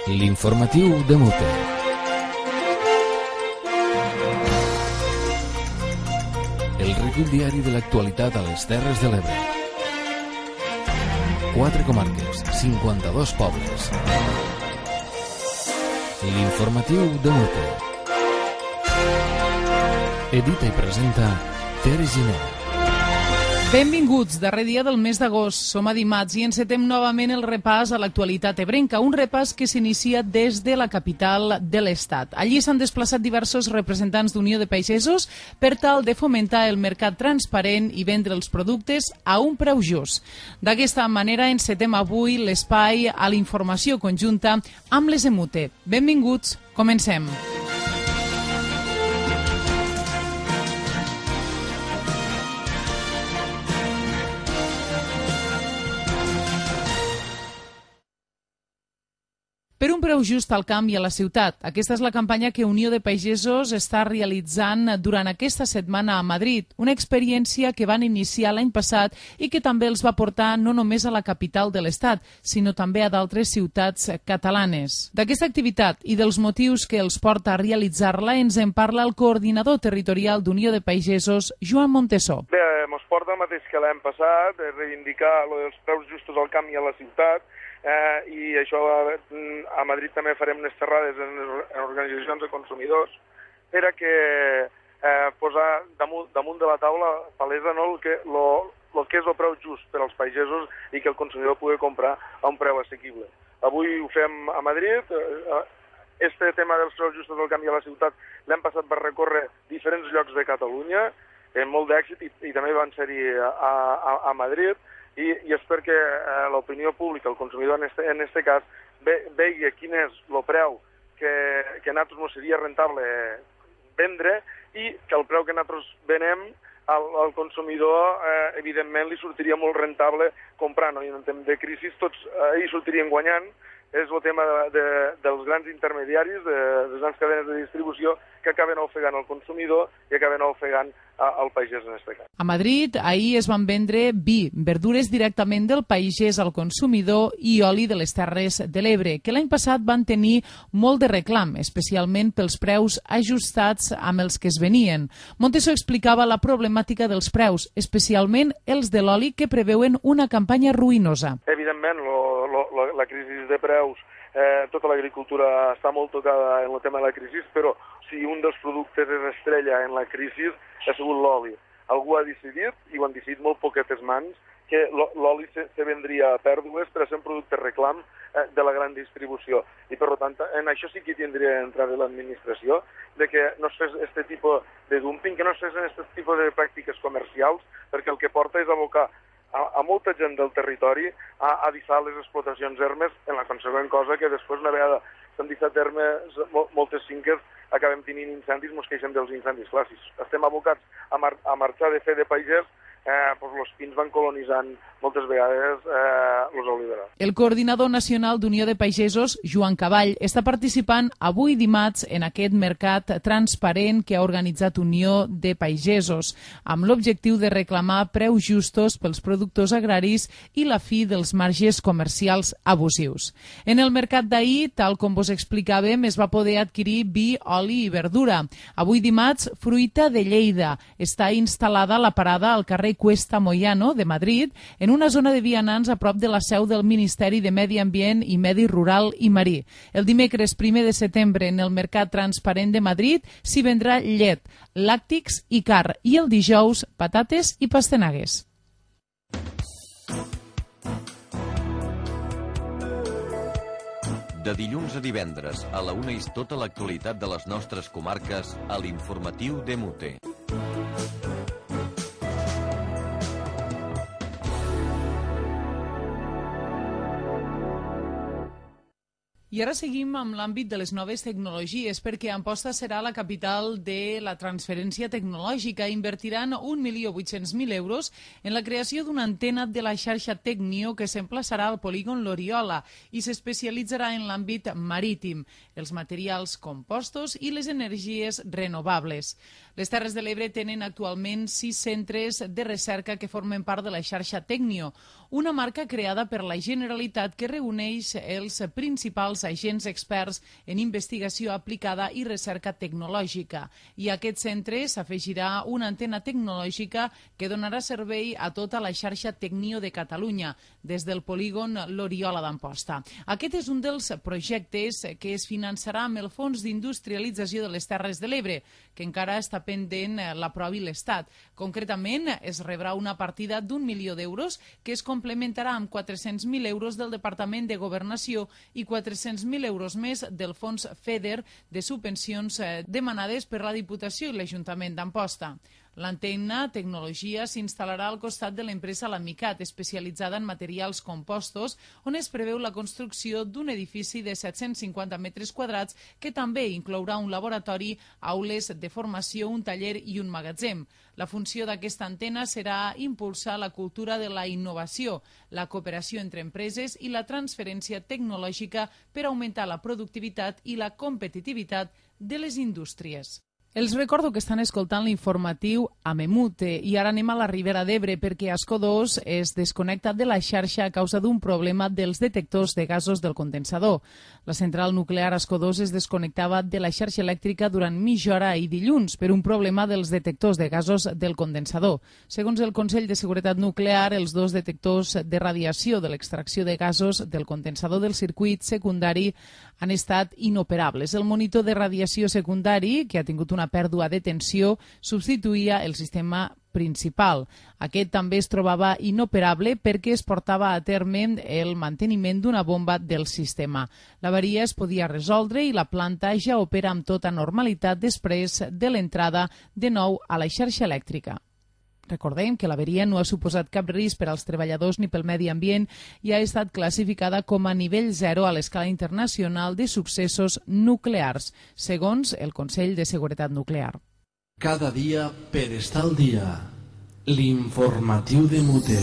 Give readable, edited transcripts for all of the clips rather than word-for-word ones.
L'informatiu de Mute. El recull diari de l'actualitat a les Terres de l'Ebre. 4 comarques, 52 pobles. L'informatiu de Mute. Edita i presenta Tere Giner. Benvinguts, darrer dia del mes d'agost. Som a dimarts i encetem novament el repàs a l'actualitat ebrenca, un repàs que s'inicia des de la capital de l'Estat. Allí s'han desplaçat diversos representants d'Unió de Pagesos per tal de fomentar el mercat transparent i vendre els productes a un preu just. D'aquesta manera encetem avui l'espai a l'informació conjunta amb les EMUTE. Benvinguts, comencem. Per un preu just al camp i a la ciutat. Aquesta és la campanya que Unió de Pagesos està realitzant durant aquesta setmana a Madrid, una experiència que van iniciar l'any passat i que també els va portar no només a la capital de l'Estat, sinó també a d'altres ciutats catalanes. D'aquesta activitat i dels motius que els porta a realitzar-la ens en parla el coordinador territorial d'Unió de Pagesos, Joan Montesó. Bé, ens porta el mateix que l'any passat, reivindicar els preus justos al camp i a la ciutat, i això a Madrid també farem unes xerrades en organitzacions de consumidors per a que posar damunt de la taula palesa el que és el preu just per als pagesos i que el consumidor pugui comprar a un preu assequible. Avui ho fem a Madrid. Este tema dels preus justos del camp i a la ciutat l'any passat va recórrer diferents llocs de Catalunya amb molt d'èxit i també van ser-hi a Madrid. I és perquè l'opinió pública, el consumidor en aquest cas, vegi quin és el preu que a nosaltres no seria rentable vendre i que el preu que nosaltres venem al consumidor, evidentment, li sortiria molt rentable comprar. No? I en temps de crisi tots hi sortirien guanyant. És el tema dels grans intermediaris, de les grans cadenes de distribució que acaben ofegant el consumidor i acaben ofegant el pagès en aquest cas. A Madrid ahir es van vendre vi, verdures directament del pagès al consumidor i oli de les Terres de l'Ebre, que l'any passat van tenir molt de reclam, especialment pels preus ajustats amb els que es venien. Montesó explicava la problemàtica dels preus, especialment els de l'oli, que preveuen una campanya ruïnosa. Evidentment, la crisi de preus, tota l'agricultura està molt tocada en el tema de la crisi, però si un dels productes és estrella en la crisi ha sigut l'oli. Algú ha decidit, i ho han decidit molt poquetes mans, que l'oli se vendria a pèrdues per a ser un producte reclam de la gran distribució. I, per tant, en això sí que tindria d'entrar l'administració, de que no es fes aquest tipus de dumping, que no es fes aquest tipus de pràctiques comercials, perquè el que porta és abocar a molta gent del territori a deixar les explotacions ermes, en la consegüent cosa que després, una vegada s'han deixat ermes, moltes finques acabem tenint incendis, mos queixem dels incendis. Clar, si estem abocats a marxar de fer de pagès, els pins van colonitzant moltes vegades els oliverars. El coordinador nacional d'Unió de Pagesos, Joan Caball, està participant avui dimarts en aquest mercat transparent que ha organitzat Unió de Pagesos, amb l'objectiu de reclamar preus justos pels productors agraris i la fi dels marges comercials abusius. En el mercat d'ahir, tal com vos explicàvem, es va poder adquirir vi, oli i verdura. Avui dimarts, fruita de Lleida. Està instal·lada a la parada al carrer Cuesta Moyano de Madrid, en una zona de vianants a prop de la seu del Ministeri de Medi Ambient i Medi Rural i Marí. El dimecres 1 de setembre en el Mercat Transparent de Madrid s'hi vendrà llet, làctics i carn, i el dijous patates i pastanagues. De dilluns a divendres a la 1 és tota l'actualitat de les nostres comarques a l'informatiu de Mute. I ara seguim amb l'àmbit de les noves tecnologies, perquè Amposta serà la capital de la transferència tecnològica. Invertiran 1.800.000 euros en la creació d'una antena de la xarxa Tecnio que s'emplaçarà al polígon L'Oriola i s'especialitzarà en l'àmbit marítim, els materials compostos i les energies renovables. Les Terres de l'Ebre tenen actualment 6 centres de recerca que formen part de la xarxa Tecnio, una marca creada per la Generalitat que reuneix els principals els agents experts en investigació aplicada i recerca tecnològica. I a aquest centre s'afegirà una antena tecnològica que donarà servei a tota la xarxa Tecnio de Catalunya, des del polígon l'Oriola d'Amposta. Aquest és un dels projectes que es finançarà amb el Fons d'Industrialització de les Terres de l'Ebre, que encara està pendent l'aprovi l'Estat. Concretament, es rebrà una partida d'1 milió d'euros que es complementarà amb 400.000 euros del Departament de Governació i 400.000 euros més del Fons FEDER de subvencions demanades per la Diputació i l'Ajuntament d'Amposta. L'antena tecnologia s'instal·larà al costat de l'empresa L'Amicat, especialitzada en materials compostos, on es preveu la construcció d'un edifici de 750 metres quadrats que també inclourà un laboratori, aules de formació, un taller i un magatzem. La funció d'aquesta antena serà impulsar la cultura de la innovació, la cooperació entre empreses i la transferència tecnològica per augmentar la productivitat i la competitivitat de les indústries. Els recordo que estan escoltant l'informatiu a Memute i ara anem a la Ribera d'Ebre perquè Ascó 2 es desconnecta de la xarxa a causa d'un problema dels detectors de gasos del condensador. La central nuclear Ascó 2 es desconnectava de la xarxa elèctrica durant mitja hora i dilluns per un problema dels detectors de gasos del condensador. Segons el Consell de Seguretat Nuclear, els dos detectors de radiació de l'extracció de gasos del condensador del circuit secundari han estat inoperables. El monitor de radiació secundari, que ha tingut una pèrdua de tensió, substituïa el sistema principal. Aquest també es trobava inoperable perquè es portava a terme el manteniment d'una bomba del sistema. L'avaria es podia resoldre i la planta ja opera amb tota normalitat després de l'entrada de nou a la xarxa elèctrica. Recordem que l'averia no ha suposat cap risc per als treballadors ni pel medi ambient i ha estat classificada com a nivell 0 a l'escala internacional de successos nuclears, segons el Consell de Seguretat Nuclear. Cada dia per estar al dia. L'informatiu de Mute.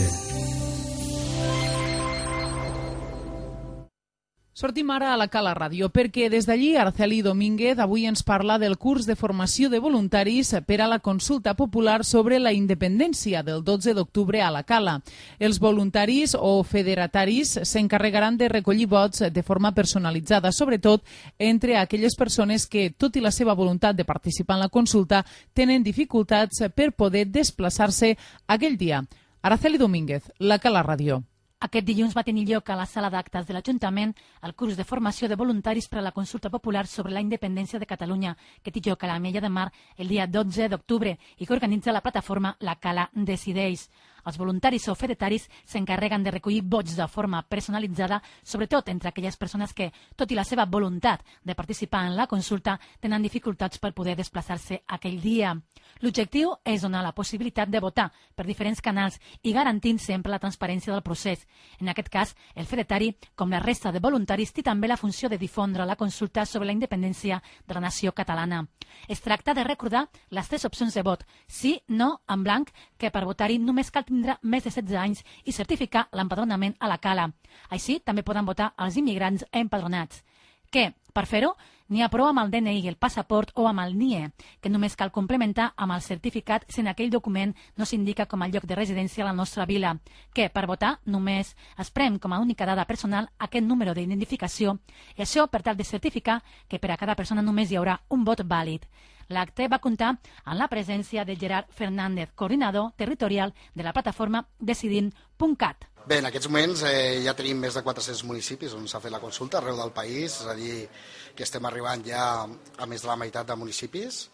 Sortim ara a la Cala Ràdio perquè des d'allí Araceli Domínguez avui ens parla del curs de formació de voluntaris per a la consulta popular sobre la independència del 12 d'octubre a la Cala. Els voluntaris o federataris s'encarregaran de recollir vots de forma personalitzada, sobretot entre aquelles persones que, tot i la seva voluntat de participar en la consulta, tenen dificultats per poder desplaçar-se aquell dia. Araceli Domínguez, la Cala Ràdio. Aquest dilluns va tenir lloc a la sala d'actes de l'Ajuntament el curs de formació de voluntaris per a la consulta popular sobre la independència de Catalunya, que té lloc a l'Ametlla de Mar el dia 12 d'octubre i que organitza la plataforma La Cala Decideix. Els voluntaris o federataris s'encarreguen de recollir vots de forma personalitzada, sobretot entre aquelles persones que, tot i la seva voluntat de participar en la consulta, tenen dificultats per poder desplaçar-se aquell dia. L'objectiu és donar la possibilitat de votar per diferents canals i garantint sempre la transparència del procés. En aquest cas, el fedatari, com la resta de voluntaris, té també la funció de difondre la consulta sobre la independència de la nació catalana. Es tracta de recordar les 3 opcions de vot, sí, no, en blanc, que per votar-hi només cal tindre més de 16 anys i certificar l'empadronament a la Cala. Així, també poden votar els immigrants empadronats. Què? Per fer-ho, n'hi ha prou amb el DNI, el passaport o amb el NIE, que només cal complementar amb el certificat si en aquell document no s'indica com a lloc de residència a la nostra vila. Que per votar només es prem com a única dada personal aquest número d'identificació i això per tal de certificar que per a cada persona només hi haurà un vot vàlid. L'acte va comptar amb la presència de Gerard Fernández, coordinador territorial de la plataforma Decidim.cat. Bé, en aquests moments ja tenim més de 400 municipis on s'ha fet la consulta arreu del país, és a dir, que estem arribant ja a més de la meitat de municipis.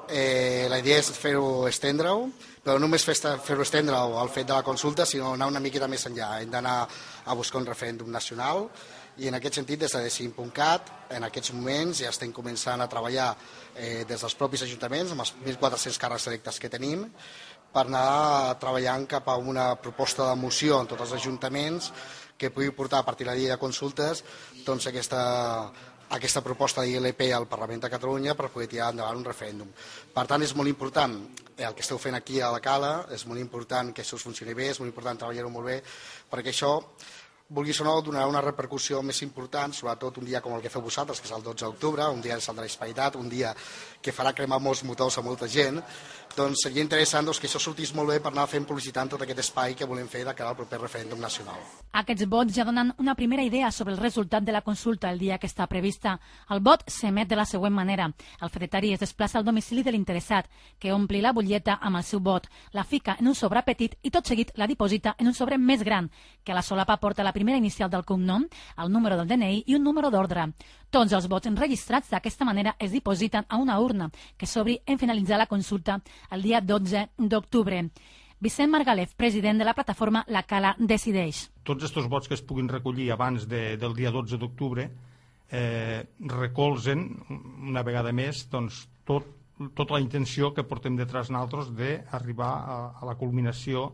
La idea és fer-ho estendre-ho, però no només fer-ho estendre-ho al fet de la consulta, sinó anar una miqueta més enllà. Hem d'anar a buscar un referèndum nacional i en aquest sentit des de Decidim.cat en aquests moments ja estem començant a treballar des dels propis ajuntaments amb els 1.400 càrrecs electes que tenim per anar treballant cap a una proposta de moció en tots els ajuntaments que pugui portar a partir de la llei de consultes doncs aquesta proposta d'ILP al Parlament de Catalunya per poder tirar endavant un referèndum. Per tant, és molt important el que esteu fent aquí a la Cala, és molt important que això funcioni bé, és molt important treballar-ho molt bé, perquè això vulguis o no, donarà una repercussió més important, sobretot un dia com el que feu vosaltres, que és el 12 d'octubre, un dia de Sant Hispanitat, un dia que farà cremar molts motors a molta gent. Doncs seria interessant que això sortís molt bé per anar fent publicitat en tot aquest espai que volem fer de cara al proper referèndum nacional. Aquests vots ja donen una primera idea sobre el resultat de la consulta el dia que està prevista. El vot s'emet de la següent manera. El fedatari es desplaça al domicili de l'interessat, que ompli la butlleta amb el seu vot, la fica en un sobre petit i tot seguit la diposita en un sobre més gran, que a la solapa porta la primera inicial del cognom, el número del DNI i un número d'ordre. Tots els vots enregistrats d'aquesta manera es dipositen a una urna que s'obri en finalitzar la consulta el dia 12 d'octubre. Vicent Margalef, president de la plataforma La Cala Decideix. Tots aquests vots que es puguin recollir abans del dia 12 d'octubre recolzen, una vegada més, doncs, tota la intenció que portem detrás nosaltres d'arribar a la culminació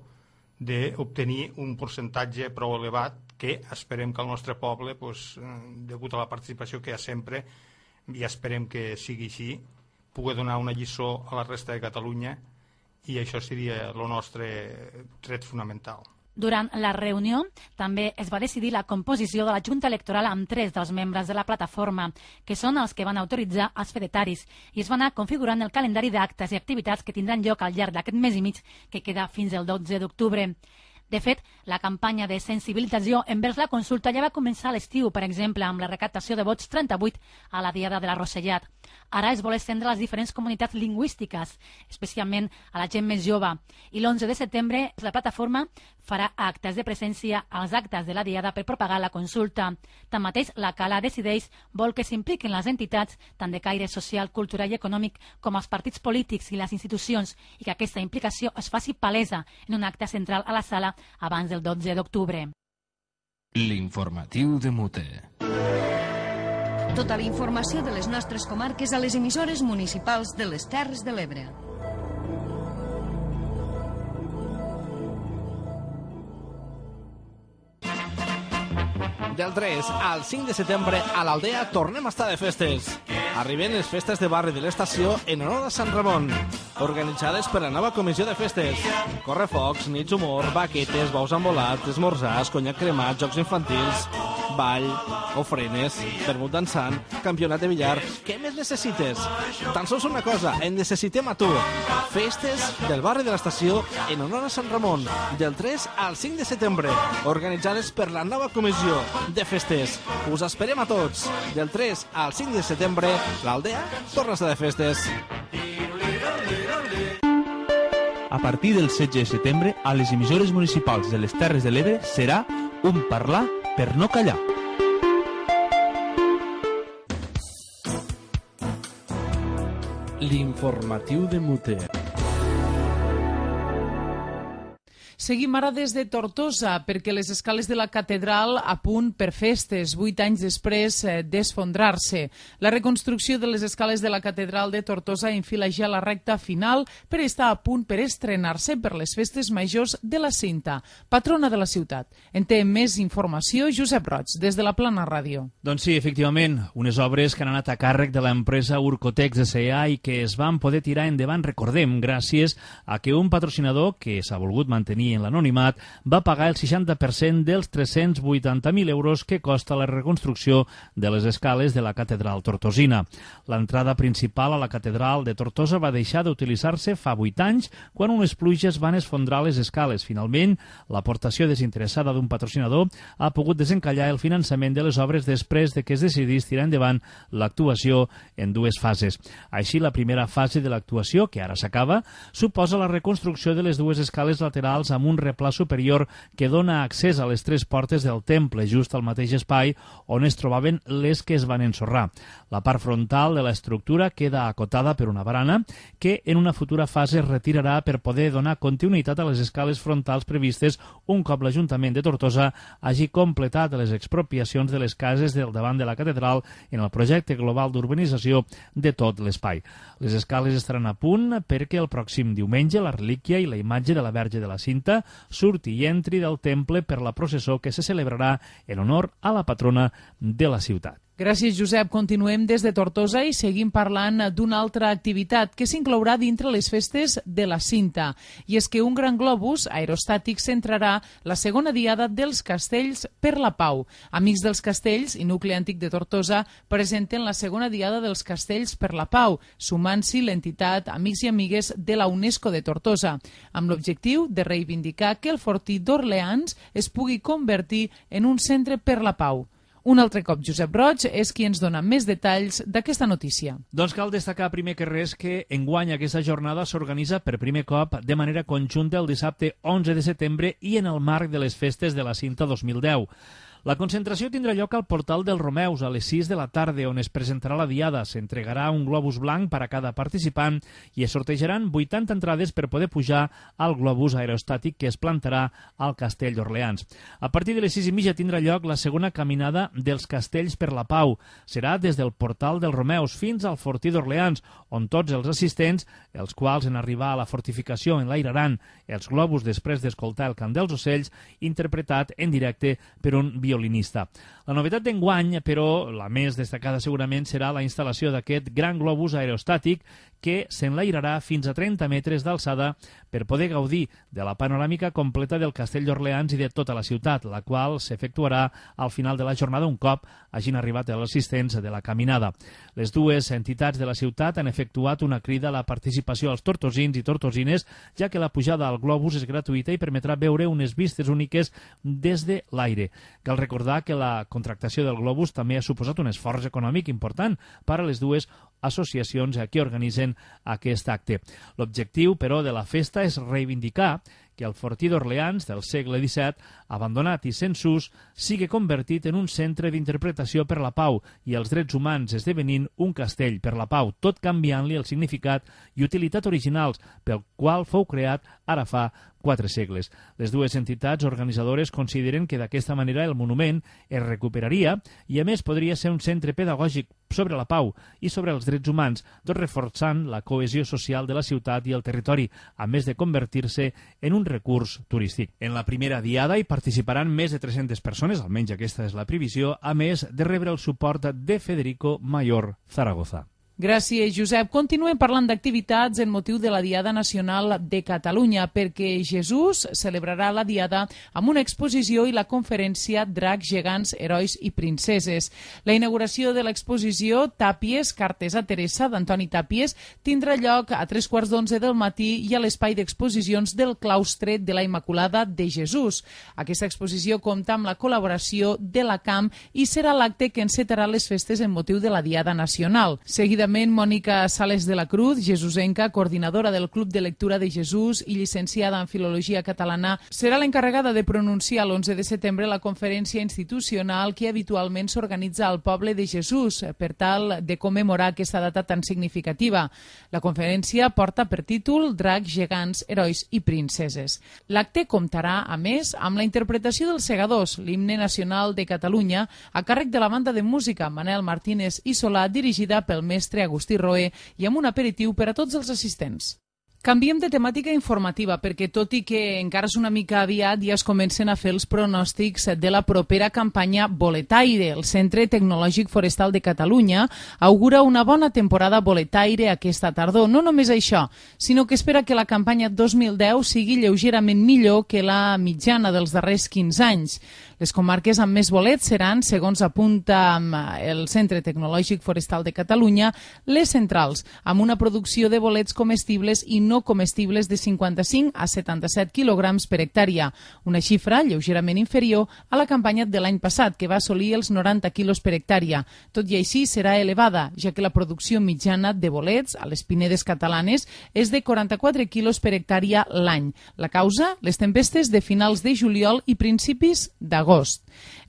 d'obtenir un percentatge prou elevat que esperem que el nostre poble, degut a la participació que hi ha sempre, i esperem que sigui així, pugui donar una lliçó a la resta de Catalunya, i això seria el nostre tret fonamental. Durant la reunió també es va decidir la composició de la Junta Electoral amb 3 dels membres de la plataforma, que són els que van autoritzar els fedataris, i es va anar configurant el calendari d'actes i activitats que tindran lloc al llarg d'aquest mes i mig que queda fins al 12 d'octubre. De fet, la campanya de sensibilització envers la consulta ja va començar a l'estiu, per exemple, amb la recaptació de vots 38 a la Diada de la Rosellat. Ara es vol estendre a les diferents comunitats lingüístiques, especialment a la gent més jove. I l'11 de setembre la plataforma farà actes de presència als actes de la Diada per propagar la consulta. Tanmateix, la Cala Decideix vol que s'impliquin les entitats, tant de caire social, cultural i econòmic, com els partits polítics i les institucions, i que aquesta implicació es faci palesa en un acte central a la sala abans del 12 d'octubre. L'informatiu de Mute. Tota la informació de les nostres comarques a les emissores municipals de les Terres de l'Ebre. Del 3 al 5 de setembre a l'Aldea tornem a estar de festes. Arriben les festes de barri de l'estació en honor a Sant Ramon, organitzades per la nova comissió de festes. Correfocs, nits humor, baquetes, bous embolats, esmorzars, conyac cremat, jocs infantils, ball, ofrenes, vermut dansant, campionat de billar. Què més necessites? Tan sols una cosa, en necessitem a tu. Festes del barri de l'estació en honor a Sant Ramon, del 3 al 5 de setembre, organitzades per la nova comissió de festes. Us esperem a tots. Del 3 al 5 de setembre, l'Aldea torna a estar de festes. A partir del 16 de setembre, a les emissores municipals de les Terres de l'Ebre serà un parlar per no callar. L'informatiu de Mute. Seguim ara des de Tortosa, perquè les escales de la catedral a punt per festes, 8 anys després d'esfondrar-se. La reconstrucció de les escales de la catedral de Tortosa enfila ja la recta final per estar a punt per estrenar-se per les festes majors de la Cinta, patrona de la ciutat. En té més informació Josep Roig, des de la Plana Ràdio. Doncs sí, efectivament, unes obres que han anat a càrrec de l'empresa Urcotex S.A. i que es van poder tirar endavant, recordem, gràcies a que un patrocinador que s'ha volgut mantenir en l'anonimat va pagar el 60% dels 380.000 euros que costa la reconstrucció de les escales de la catedral tortosina. L'entrada principal a la catedral de Tortosa va deixar d'utilitzar-se fa 8 anys quan unes pluges van esfondrar les escales. Finalment, l'aportació desinteressada d'un patrocinador ha pogut desencallar el finançament de les obres després de que es decidís tirar endavant l'actuació en 2 fases. Així, la primera fase de l'actuació, que ara s'acaba, suposa la reconstrucció de les 2 escales laterals amb un replà superior que dona accés a les 3 portes del temple, just al mateix espai on es trobaven les que es van ensorrar. La part frontal de l'estructura queda acotada per una barana que en una futura fase es retirarà per poder donar continuïtat a les escales frontals previstes un cop l'Ajuntament de Tortosa hagi completat les expropiacions de les cases del davant de la catedral en el projecte global d'urbanització de tot l'espai. Les escales estaran a punt perquè el pròxim diumenge la relíquia i la imatge de la Verge de la Cinta surti i entri del temple per la processó que se celebrarà en honor a la patrona de la ciutat. Gràcies, Josep. Continuem des de Tortosa i seguim parlant d'una altra activitat que s'inclourà dintre les festes de la Cinta. I és que un gran globus aerostàtic centrarà la segona diada dels Castells per la Pau. Amics dels Castells i Nucli Antic de Tortosa presenten la segona diada dels Castells per la Pau, sumant-s'hi l'entitat Amics i Amigues de la UNESCO de Tortosa, amb l'objectiu de reivindicar que el fortí d'Orleans es pugui convertir en un centre per la pau. Un altre cop, Josep Roig és qui ens dona més detalls d'aquesta notícia. Doncs cal destacar primer que res que enguany aquesta jornada s'organitza per primer cop de manera conjunta el dissabte 11 de setembre i en el marc de les festes de la Cinta 2010. La concentració tindrà lloc al portal dels Romeus a les 6 de la tarda, on es presentarà la diada. S'entregarà un globus blanc per a cada participant i es sortejaran 80 entrades per poder pujar al globus aerostàtic que es plantarà al Castell d'Orleans. A partir de les 6:30 tindrà lloc la segona caminada dels Castells per la Pau. Serà des del portal dels Romeus fins al fortí d'Orleans, on tots els assistents, els quals en arribar a la fortificació enlairaran els globus després d'escoltar el cant dels ocells, interpretat en directe per un violinista. La novetat d'enguany, però, la més destacada segurament serà la instal·lació d'aquest gran globus aerostàtic que s'enlairarà fins a 30 metres d'alçada per poder gaudir de la panoràmica completa del Castell d'Orleans i de tota la ciutat, la qual s'efectuarà al final de la jornada un cop hagin arribat els assistents de la caminada. Les dues entitats de la ciutat han efectuat una crida a la participació als tortosins i tortosines, ja que la pujada al globus és gratuïta i permetrà veure unes vistes úniques des de l'aire. Cal recordar que la contractació del globus també ha suposat un esforç econòmic important per a les dues associacions que organitzen aquest acte. L'objectiu, però, de la festa és reivindicar que el fortí d'Orleans del segle XVII, abandonat i sense ús, sigui convertit en un centre d'interpretació per la pau i els drets humans, esdevenint un castell per la pau, tot canviant-li el significat i utilitat originals pel qual fou creat ara fa 4 segles. Les dues entitats organitzadores consideren que d'aquesta manera el monument es recuperaria i a més podria ser un centre pedagògic sobre la pau i sobre els drets humans, tot reforçant la cohesió social de la ciutat i el territori, a més de convertir-se en un recurs turístic. En la primera diada hi participaran més de 300 persones, almenys aquesta és la previsió, a més de rebre el suport de Federico Mayor Zaragoza. Gràcies, Josep. Continuem parlant d'activitats en motiu de la Diada Nacional de Catalunya, perquè Jesús celebrarà la Diada amb una exposició i la conferència Dracs, gegants, herois i princeses. La inauguració de l'exposició Tàpies, cartes a Teresa, d'Antoni Tàpies, tindrà lloc a 3:15 del matí i a l'espai d'exposicions del claustre de la Immaculada de Jesús. Aquesta exposició compta amb la col·laboració de la CAM i serà l'acte que encetarà les festes en motiu de la Diada Nacional. Seguidament, Mònica Sales de la Cruz, jesusenca, coordinadora del Club de Lectura de Jesús i llicenciada en Filologia Catalana, serà l'encarregada de pronunciar l'11 de setembre la conferència institucional que habitualment s'organitza al poble de Jesús per tal de commemorar aquesta data tan significativa. La conferència porta per títol Dracs, gegants, herois i princeses. L'acte comptarà, a més, amb la interpretació dels Segadors, l'himne nacional de Catalunya, a càrrec de la banda de música Manel Martínez i Solà, dirigida pel mestre Agustí Roé, i amb un aperitiu per a tots els assistents. Canviem de temàtica informativa perquè, tot i que encara és una mica aviat, ja es comencen a fer els pronòstics de la propera campanya boletaire. El Centre Tecnològic Forestal de Catalunya augura una bona temporada boletaire aquesta tardor. No només això, sinó que espera que la campanya 2010 sigui lleugerament millor que la mitjana dels darrers 15 anys. Les comarques amb més bolets seran, segons apunta el Centre Tecnològic Forestal de Catalunya, les centrals, amb una producció de bolets comestibles i no comestibles de 55 a 77 quilograms per hectàrea, una xifra lleugerament inferior a la campanya de l'any passat, que va assolir els 90 quilos per hectàrea. Tot i així serà elevada, ja que la producció mitjana de bolets a les pinedes catalanes és de 44 quilos per hectàrea l'any. La causa? Les tempestes de finals de juliol i principis d'agost.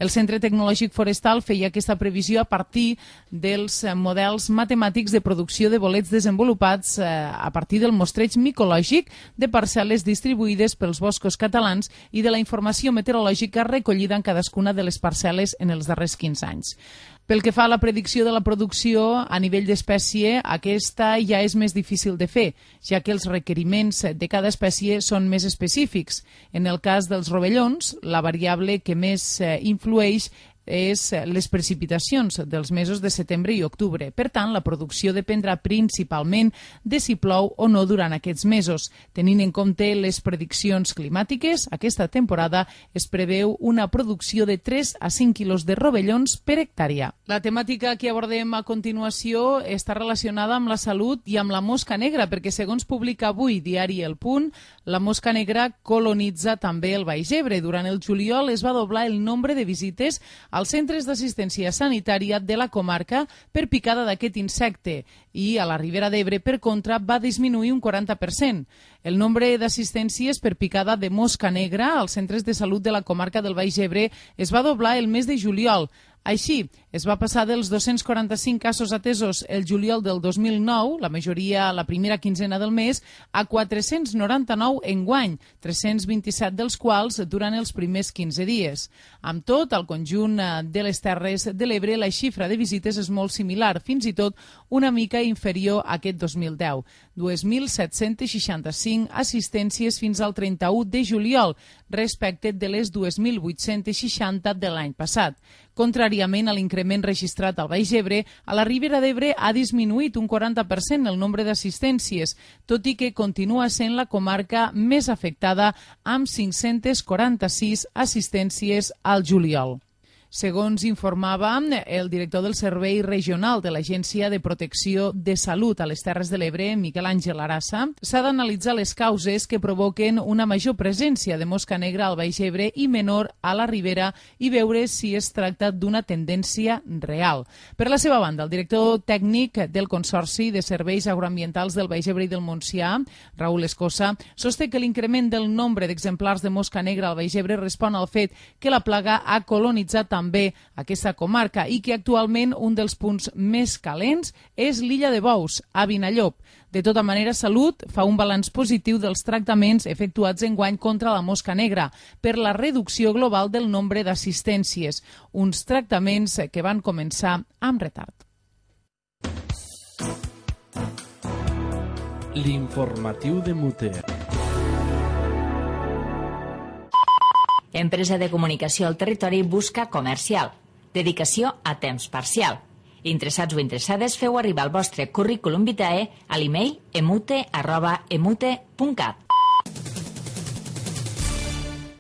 El Centre Tecnològic Forestal feia aquesta previsió a partir dels models matemàtics de producció de bolets desenvolupats a partir del mostreig micològic de parcel·les distribuïdes pels boscos catalans i de la informació meteorològica recollida en cadascuna de les parcel·les en els darrers 15 anys. Pel que fa a la predicció de la producció a nivell d'espècie, aquesta ja és més difícil de fer, ja que els requeriments de cada espècie són més específics. En el cas dels rovellons, la variable que més influeix és les precipitacions dels mesos de setembre i octubre. Per tant, la producció dependrà principalment de si plou o no durant aquests mesos. Tenint en compte les prediccions climàtiques, aquesta temporada es preveu una producció de 3 a 5 quilos de rovellons per hectàrea. La temàtica que abordem a continuació està relacionada amb la salut i amb la mosca negra, perquè segons publica avui diari El Punt, la mosca negra colonitza també el Baix Ebre. Durant el juliol es va doblar el nombre de visites als centres d'assistència sanitària de la comarca per picada d'aquest insecte i a la Ribera d'Ebre, per contra, va disminuir un 40%. El nombre d'assistències per picada de mosca negra als centres de salut de la comarca del Baix Ebre es va doblar el mes de juliol. Així, es va passar dels 245 casos atesos el juliol del 2009, la majoria la primera quinzena del mes, a 499 enguany, 327 dels quals durant els primers 15 dies. Amb tot, al conjunt de les Terres de l'Ebre, la xifra de visites és molt similar, fins i tot una mica inferior a aquest 2010. 2.765 assistències fins al 31 de juliol, respecte de les 2.860 de l'any passat. Contràriament a l'increment registrat al Baix Ebre, a la Ribera d'Ebre ha disminuït un 40% el nombre d'assistències, tot i que continua sent la comarca més afectada amb 546 assistències al juliol. Segons informava el director del Servei Regional de l'Agència de Protecció de Salut a les Terres de l'Ebre, Miquel Àngel Arassa, s'ha d'analitzar les causes que provoquen una major presència de mosca negra al Baix Ebre i menor a la Ribera i veure si es tracta d'una tendència real. Per la seva banda, el director tècnic del Consorci de Serveis Agroambientals del Baix Ebre i del Montsià, Raül Escosa, sosté que l'increment del nombre d'exemplars de mosca negra al Baix Ebre respon al fet que la plaga ha colonitzat també aquesta comarca i que actualment un dels punts més calents és l'illa de Bous, a Vinallop. De tota manera, Salut fa un balanç positiu dels tractaments efectuats enguany contra la mosca negra per la reducció global del nombre d'assistències, uns tractaments que van començar amb retard. L'informatiu de Muter. Empresa de comunicació al territori busca comercial. Dedicació a temps parcial. Interessats o interessades, feu arribar el vostre currículum vitae a l'email emute@emute.cat.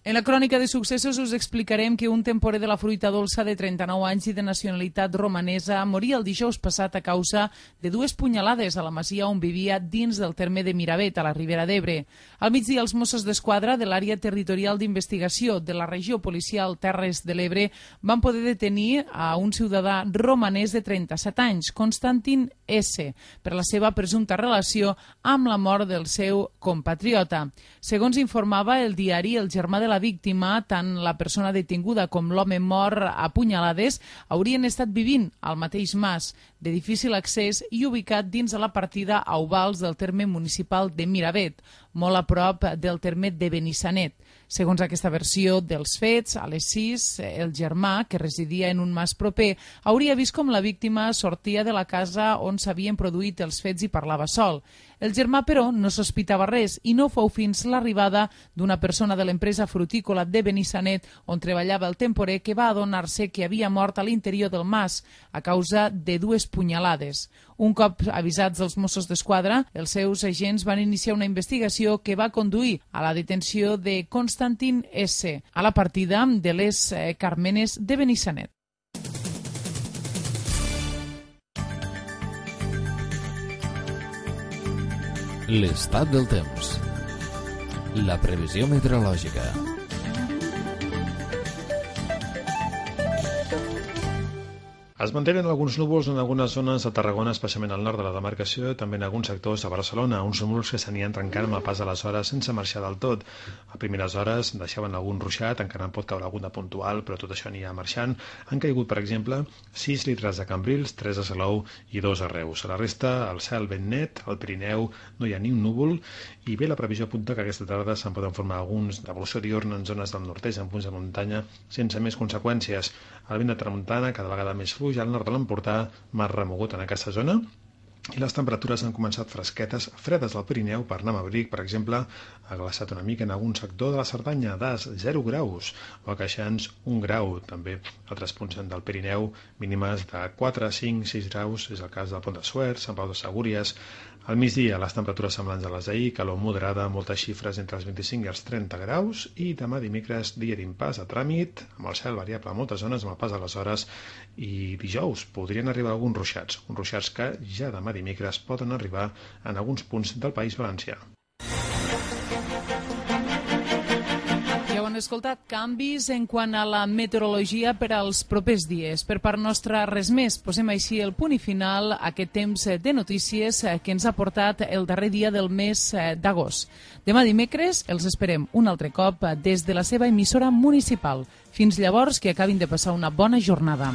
En la crònica de successos us explicarem que un temporer de la fruita dolça de 39 anys i de nacionalitat romanesa moria el dijous passat a causa de 2 punyalades a la masia on vivia dins del terme de Miravet, a la Ribera d'Ebre. Al migdia, els Mossos d'Esquadra de l'àrea territorial d'investigació de la regió policial Terres de l'Ebre van poder detenir a un ciutadà romanès de 37 anys, Constantin S., per la seva presumpta relació amb la mort del seu compatriota. Segons informava el diari El Germà de la víctima, tant la persona detinguda com l'home mort a punyalades haurien estat vivint al mateix mas, de difícil accés i ubicat dins de la partida a Ovals del terme municipal de Miravet, molt a prop del terme de Benissanet. Segons aquesta versió dels fets, a les 6, el germà, que residia en un mas proper, hauria vist com la víctima sortia de la casa on s'havien produït els fets i parlava sol. El germà, però, no sospitava res i no fou fins l'arribada d'una persona de l'empresa frutícola de Benissanet on treballava el temporer que va adonar-se que havia mort a l'interior del mas a causa de 2 punyalades. Un cop avisats els Mossos d'Esquadra, els seus agents van iniciar una investigació que va conduir a la detenció de Constantin S. a la partida de les Carmenes de Benissanet. L'estat del temps. La previsió meteorològica. Es mantenen alguns núvols en algunes zones a Tarragona, especialment al nord de la demarcació, i també en alguns sectors a Barcelona, uns núvols que s'anien trencant amb el pas de les hores sense marxar del tot. A primeres hores deixaven algun ruixat, encara en pot caure alguna puntual, però tot això anirà marxant. Han caigut, per exemple, 6 litres a Cambrils, 3 a Salou i 2 a Reus. A la resta, el cel ben net, al Pirineu no hi ha ni un núvol, i bé, la previsió apunta que aquesta tarda se'n poden formar alguns d'evolució diurna en zones del nord-est, en punts de muntanya, sense més conseqüències. El vent de tramuntana, cada vegada més fluix, al nord de l'Empordà, mar remogut en aquesta zona, i les temperatures han començat fresquetes, fredes al Pirineu. Per anar a abric, per exemple, ha glaçat una mica en algun sector de la Cerdanya, d'As, 0 graus, o a Queixans, 1 grau. També altres punts del Pirineu, mínimes de 4, 5, 6 graus, és el cas del Pont de Suert, Sant Pau de Segúries. Al migdia, les temperatures semblants a les d'ahir, calor moderada, moltes xifres entre els 25 i els 30 graus, i demà dimecres, dia d'impàs a tràmit, amb el cel variable a moltes zones, amb el pas de les hores, i dijous podrien arribar alguns ruixats que ja demà dimecres poden arribar en alguns punts del País Valencià. Ja ho han escoltat, canvis en quant a la meteorologia per als propers dies. Per part nostra, res més. Posem així el punt i final a aquest temps de notícies que ens ha portat el darrer dia del mes d'agost. Demà dimecres els esperem un altre cop des de la seva emissora municipal. Fins llavors, que acabin de passar una bona jornada.